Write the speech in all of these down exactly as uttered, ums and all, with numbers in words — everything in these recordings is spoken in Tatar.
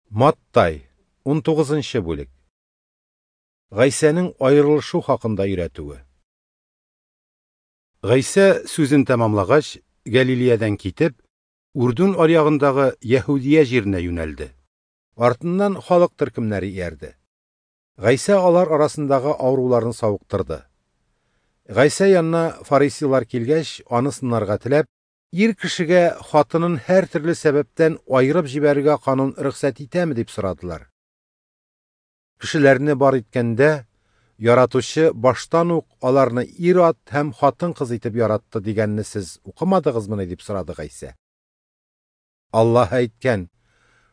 Маттай, унтугызынчы бүлек. Гайсәнең аерылышу хакында өйрәтүе. Гайсә сүзен тәмамлагач, Галилеядән китеп, Үрдүн аръягындагы Яһүдия җиренә юнәлде. Артыннан халык төркемнәре иярде. Гайсә алар арасындагы авыруларны савыктырды. Гайсә янына фарисейлар килгәч, аны сынарга теләп, ир кешегә хатынын һәр төрле сәбәптән аерып җибәрергә канун рөхсәт итәме дип сорадылар. Кешеләрне бар иткәндә, яратучы баштан ук аларны ир-ат һәм хатын-кыз итеп яратты дигәнне сез укымадыгызмыни дип сорады Гайсә. Аллаһ әйткән: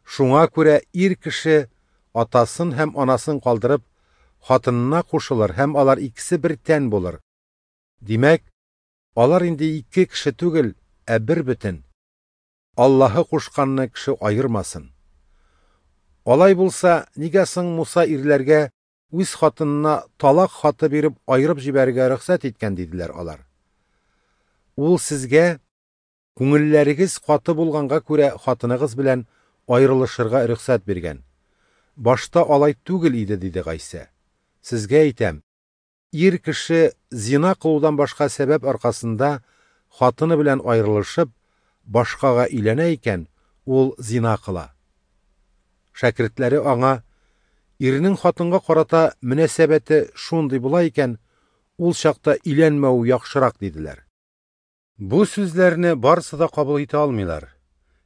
шуңа күрә ир кеше атасын һәм анасын калдырып, хатынына кушылыр һәм алар икесе бер тән булыр. Димәк, алар инде ике кеше түгел, ә бер бөтен. Аллаһы кушканны кеше аермасын. Алай булса, нигә соң Муса ирләргә үз хатынына талак хаты биреп аерып җибәрергә рөхсәт иткән диделәр алар. Ул сезгә күңелләрегез каты булганга күрә хатыныгыз белән аерылышырга рөхсәт биргән. Башта алай түгел иде, диде Гайсә. Сезгә әйтәм, ир кеше зина кылудан башка сәбәп аркасында хатыны белән аерылышып, башкага өйләнә икән, ул зина кыла. Шәкертләре аңа: ирнең хатынга карата мөнәсәбәте шундый була икән, ул чакта өйләнмәү яхшырак, диделәр. Бу сүзләрне барысы да кабул итә алмыйлар.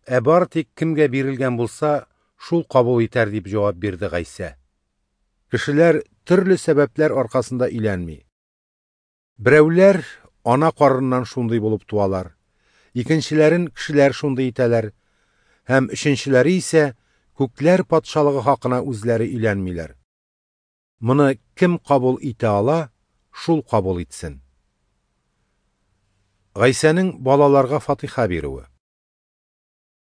Ә бар тик кемгә бирелгән булса, шул кабул итәр, дип җавап бирде Гайсә. Кешеләр төрле сәбәпләр аркасында өйләнми. Берәүләр ана карыннан шундый булып туалар, икенчеләрен кешеләр шундый итәләр, һәм өченчеләре исә күкләр патшалыгы хакына үзләре өйләнмиләр. Моны кем кабул итә ала, шул кабул итсен. Гайсәнең балаларга фатиха бирүе.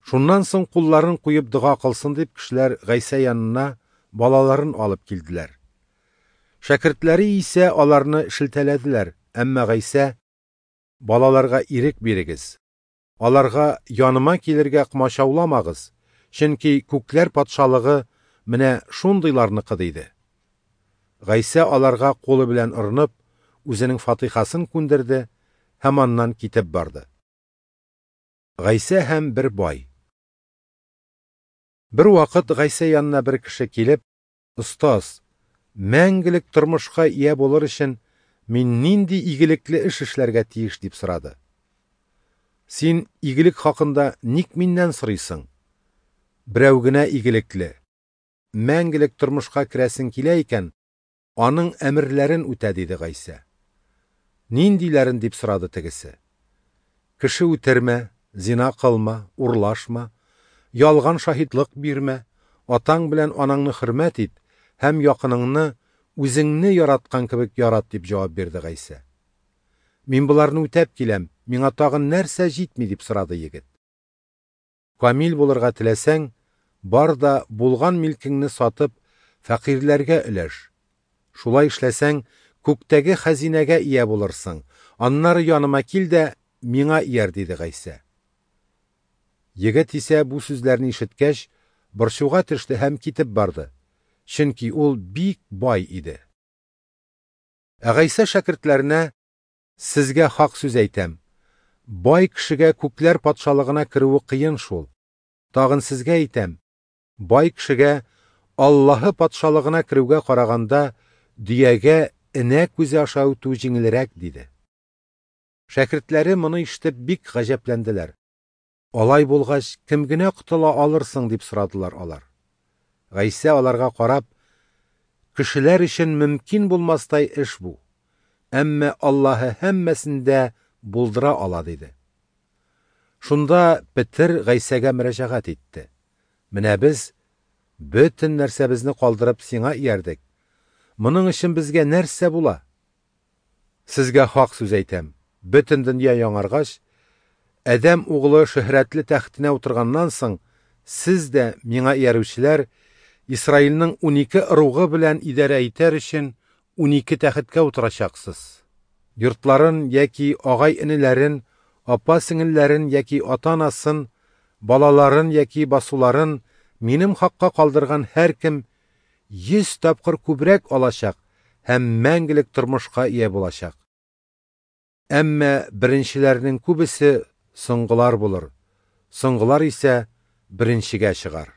Шуннан соң кулларын куеп дога кылсын дип кешеләр Гайсә янына балаларын алып килделәр. Шәкертләре исә аларны шелтәләделәр, әмма Гайсә: балаларга ирек бирегез, аларга яныма килергә комачауламагыз, чөнки күкләр патшалыгы менә шундыйларныкы, диде. Гайсә аларга кулы белән орынып, үзенең фатихасын күндерде һәм аннан китеп барды. Гайсә һәм бер бай. Бер вакыт Гайсә янына бер кеше килеп: "Остаз, мәңгелек тормышка ия булыр өчен мин нинди игелекле эш эшләргә тиеш?" дип сорады. "Син игелек хакында ник миннән сорыйсың? Берәү генә игелекле. Мәңгелек тормышка керәсең килә икән, аның әмерләрен үтә", диде Гайсә. "Ниндиләрен?" дип сорады тегесе. "Кеше үтермә, зина кылма, урлашма, ялган шаһитлык бирмә, атаң белән анаңны хөрмәт ит һәм якыныңны үзеңне яраткан кебек ярат", дип җавап бирде Гайсә. "Мин боларны үтәп киләм, миңа тагын нәрсә җитми?" дип сорады егет. "Камил булырга теләсәң, бар да булган милкеңне сатып, фәкыйрьләргә өләш. Шулай эшләсәң, күктәге хәзинәгә ия булырсың. Аннары яныма кил дә миңа ияр", диде Гайсә. Егет исә бу сүзләрне ишеткәч, борчуга төште һәм китеп барды, чөнки ул бик бай иде. Ә Гайсә шәкертләренә: "Сезгә хак сүз әйтәм, бай кешегә күкләр патшалыгына керүе кыен шул. Тагын сезгә әйтәм, бай кешегә Аллаһы патшалыгына керүгә караганда дөягә энә күзе аша үтү җиңелрәк", диде. Шәкертләре моны ишетеп бик гаҗәпләнделәр. "Алай булгач, кем генә котыла алырсың?" дип сорадылар алар. Гайсә аларга карап: "Кешеләр өчен мөмкин булмастай эш бу, әмма Аллаһы һәммәсен дә булдыра ала", диде. Шунда Петер Гайсәгә мөрәҗәгать итте: "Менә без бөтен нәрсәбезне калдырып сиңа иярдек. Моның өчен безгә нәрсә була? Сезгә хак сүз әйтәм, бөтен дөнья яңаргач, Адәм углы шөһрәтле тәхетенә утырганнан соң, сез дә, миңа иярүчеләр, Исраилнең унике ыругы белән идарә итәр өчен унике тәхеткә утырачаксыз. Йортларын яки агай-энеләрен, апа-сеңелләрен яки ата-анасын, балаларын яки басуларын Минем хакка калдырган һәркем йөз тапкыр күбрәк алачак һәм мәңгелек тормышка ия булачак. Әмма беренчеләрнең күбесе соңгылар булыр, соңгылар исә беренчегә чыгар.